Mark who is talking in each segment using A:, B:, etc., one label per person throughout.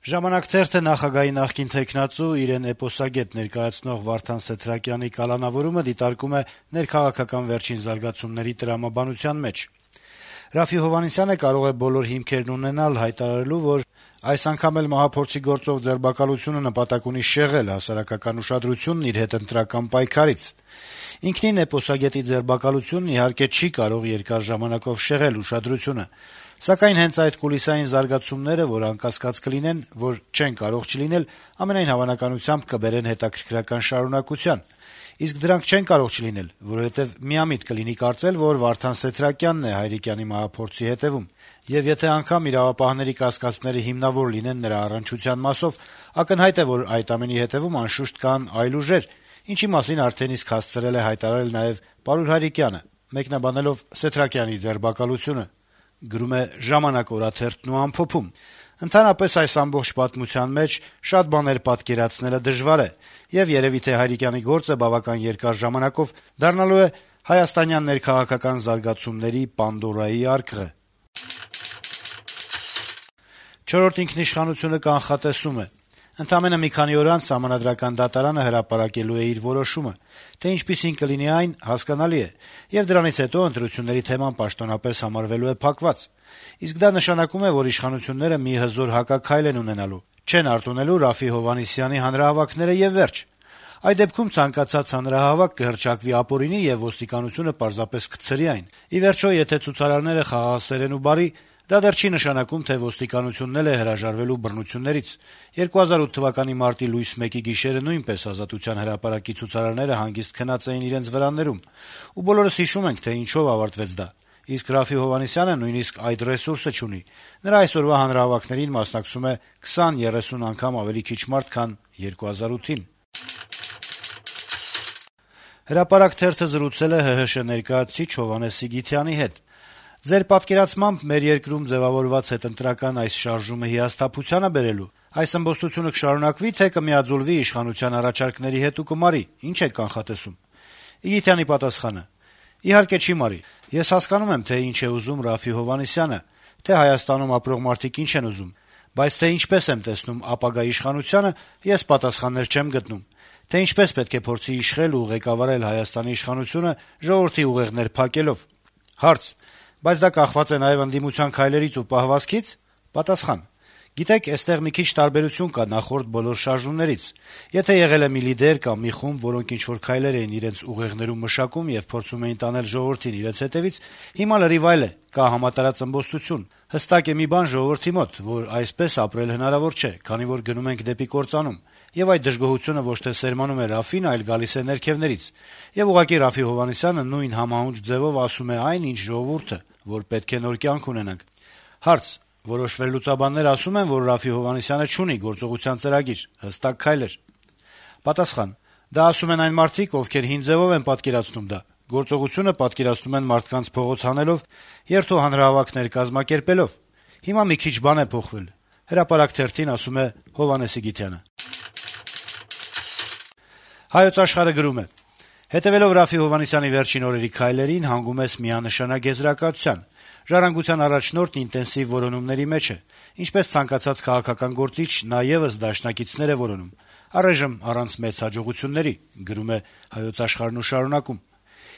A: «Ժամանակ» թերթը նախագահի նախկին թեկնածու, իրեն էպոսագետ ներկայացնող Վարդան Սեթրակյանի կալանավորումը դիտարկում է ներքաղաքական վերջին զարգացումների տրամաբանության մեջ։ Րաֆֆի Հովհաննիսյանը կարող է բոլոր հիմքերն ունենալ հայտարարելու, որ այս անգամ էլ մահափորձի գործով ձերբակալությունը նպատակ ունի շեղել հասարակական ուշադրությունն իր հետընտրական պայքարից։ Ինքնին էպոսագետի ձերբակալությունն իհարկե չի կարող երկար ժամանակով շեղել ուշադրությունը, սակայն հենց այդ կուլիսային զարգացումները, որ անկասկած կլինեն, որ չեն կարող չլինել, ամենայն հավանականությամբ կբերեն հետաքրքրական շարունակության։ Իսկ դրանք չեն կարող չլինել, որովհետև միամիտ կլինի կարծել, որ Վարդան Սեթրակյանն է Հայրիկյանի մահափորձի հետևում, եւ եթե անգամ իրավապահների կասկածները հիմնավոր լինեն նրա առնչության մասով, ակնհայտ է, որ այդ ամենի հետևում անշուշտ կան այլ ուժեր, ինչի մասին արդեն իսկ հասցրել է հայտարարել նաեւ Պարուր Հայրիկյանը, մեկնաբանելով Սեթրակյանի ձերբակալությունը։ Գրում է «Ժամանակ» օրաթերթն ու ամփոփում. Ընդհանրապես այս ամբողջ պատմության մեջ շատ բաներ պատկերացնելը դժվար է, եւ երեւի թե Հայրիկյանի գործը բավական երկար ժամանակով դառնալու է հայաստանյան ներքաղաքական զարգացումների Պանդորայի արկղը։ «Չորրորդ ինքնիշխանությունը» կանխատեսում է. Ընդամենը մի քանի օր անց Սահմանադրական դատարանը հրապարակելու է իր որոշումը, թե ինչպիսին կլինի այն, հասկանալի է, եւ դրանից հետո ընտրությունների թեման պաշտոնապես համարվելու է փակված։ Իսկ դա նշանակում է, որ իշխանությունները մի հզոր հակաքայլ են ունենալու, չեն արտոնելու Րաֆֆի Հովհաննիսյանի հանրահավաքները եւ վերջ։ Այդ դեպքում ցանկացած հանրահավաք կհռչակվի ապօրինի եւ ոստիկանությունը պարզապես կցրի այն։ Ի վերջո, եթե ցուցարարները խաղաղասեր են ու բարի, դա դեռ չի նշանակում, թե ոստիկանությունն էլ է հրաժարվելու բռնություններից։ 2008 թվականի մարտի լույս 1-ի գիշերը նույնպես Ազատության հրապարակի ցուցարարները հանգիստ քնած էին իրենց վրաններում, ու բոլորս հիշում ենք, թե ինչով ավարտվեց դա։ Իսկ Րաֆֆի Հովհաննիսյանը նույնիսկ այդ ռեսուրսը չունի։ Նրա այսօրվա հանրահավաքներին մասնակցում է 20-30 անգամ ավելի քիչ մարդ, քան 2008-ին։ «Հրապարակ» թերթը զրուցել է ՀՀՇ ներկայացուցիչ Հովհաննես Սիգիթյանի հետ։ «Ձեր պատկերացմամբ մեր երկրում ձեւավորված հետընտրական այս շարժումը հիասթափության է բերելու։ Այս ըմբոստությունը կշարունակվի, թե կմիաձուլվի իշխանության առաջարկների հետ ու կմարի։ Ինչ եք կանխատեսում»։ Իգիթյանի պատասխանը. «Իհարկե չի մարի։ Ես հասկանում եմ, թե ինչ է ուզում Րաֆֆի Հովհաննիսյանը, թե Հայաստանում ապրող մարդիկ ինչ են ուզում, բայց թե ինչպես եմ տեսնում ապագա իշխանությանը, ես պատասխաններ չեմ գտնում։ Թե ինչպես պետք է փորձի իշխել ու ղեկավարել Հայաստանի իշխանությունը ժողովրդի ուղեղներ փակելով»։ Հարց. Բայց դա կախված է նաեւ ընդդիմության քայլերից ու պահվածքից։ Պատասխան. Գիտեք, այստեղ մի քիչ տարբերություն կա նախորդ բոլոր շարժումներից։ Եթե եղել է մի լիդեր կամ մի խումբ, որոնք ինչ-որ քայլեր էին իրենց ուղեղներում մշակում եւ փորձում էին տանել ժողովրդին իրենց հետեւից, հիմա լրիվ այլ է, կա համատարած ըմբոստություն։ Հստակ է մի բան ժողովրդի մոտ, որ այսպես ապրել հնարավոր չէ, քանի որ գնում ենք դեպի կործանում։ Եվ այդ դժգոհությունը ոչ թե սերմանում է Րաֆֆին, այլ գալիս է ներքևներից։ Եվ ուղղակի Րաֆֆի Հովհաննիսյանը նույն համահունչ ձևով ասում է այն, ինչ ժողովուրդը, որ պետք է նոր կյանք ունենանք։ Հարց. Որոշ վերլուծաբաններ ասում են, որ Րաֆֆի Հովհաննիսյանը չունի գործողության ծրագիր, հստակ քայլեր։ Պատասխան. Դա ասում են այն մարդիկ, ովքեր հին ձևով են պատկերացնում դա։ Գործողությունը պատկերացնում են մարդկանց փողոց հանելով, երթու հանրահավաքներ կազմակերպելով։ Հիմա մի քիչ բան է փոխվել։ Հրապարակ թերթին ասում է Հովհաննես Սիգիթյանը։ Հայոց Աշխարհը գրում է. Հետեւելով Րաֆֆի Հովհաննիսյանի վերջին օրերի քայլերին, հանգում ես միանշանակ եզրակացության։ Ժառանգության առաջնորդն ինտենսիվ որոնումների մեջ է։ Ինչպես ցանկացած քաղաքական գործիչ, նա եւս դաշնակիցներ է որոնում։ Առայժմ առանց մեծ հաջողությունների, գրում է Հայոց Աշխարհն ու շարունակում։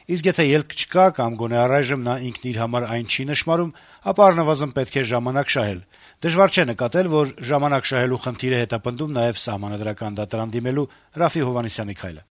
A: Իսկ եթե ելք չկա կամ գոնե առայժմ նա ինքն իր համար այն չի նշмарում, ապա առնվազն պետք է ժամանակ շահել։ Դժվար չէ նկատել, որ ժամանակ շահելու խնդիր է հետապնդում նաեւ Սահմանադրական դատարան դիմելու Րաֆֆի Հովհաննիսյանի քայլը։